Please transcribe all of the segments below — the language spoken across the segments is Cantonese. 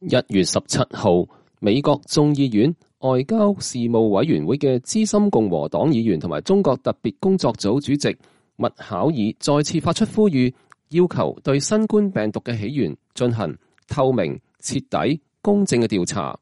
1月17號，美國眾議院外交事務委員會嘅資深共和黨議員同埋中國特別工作組主席麥考爾再次發出呼籲，要求對新冠病毒嘅起源進行透明、徹底、公正嘅調查。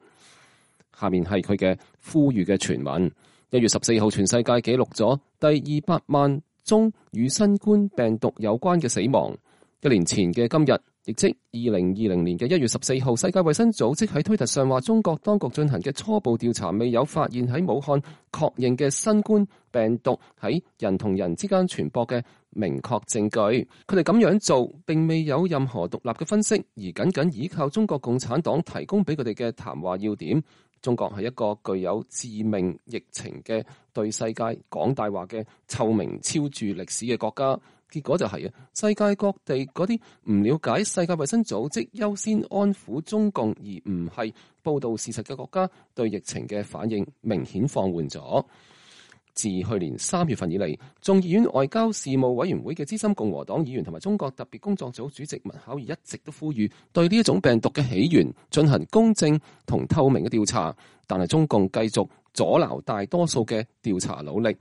下面係佢嘅呼籲嘅全文。1月14號，全世界記錄咗第200萬宗與新冠病毒有關嘅死亡。1年前嘅今日，亦即2020年嘅1月14號，世界衛生組織喺推特上話，中國當局進行嘅初步調查未有發現喺武漢確認嘅新冠病毒喺人同人之間傳播嘅明確證據。佢哋咁樣做並未有任何獨立嘅分析，而僅僅依靠中國共產黨提供俾佢哋嘅談話要點。中國係一個具有致命疫情嘅對世界講大話嘅臭名昭著歷史嘅國家。結果就係世界各地嗰啲唔了解世界衛生組織優先安撫中共而唔係報道事實嘅國家，對疫情嘅反應明顯放緩咗。自去年3月份以嚟，眾議院外交事務委員會嘅資深共和黨議員同埋中國特別工作組主席麥考爾一直都呼籲對呢一種病毒嘅起源進行公正同透明嘅調查，但係中共繼續阻撓大多數嘅調查努力。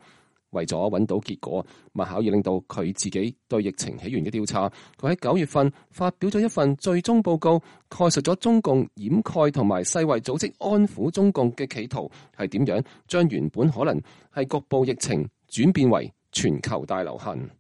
為咗揾到結果，麥考爾令到佢自己對疫情起源嘅調查，佢喺9月份發表咗一份最終報告，概述咗中共掩蓋同埋世衛組織安撫中共嘅企圖係點樣將原本可能係局部疫情轉變為全球大流行。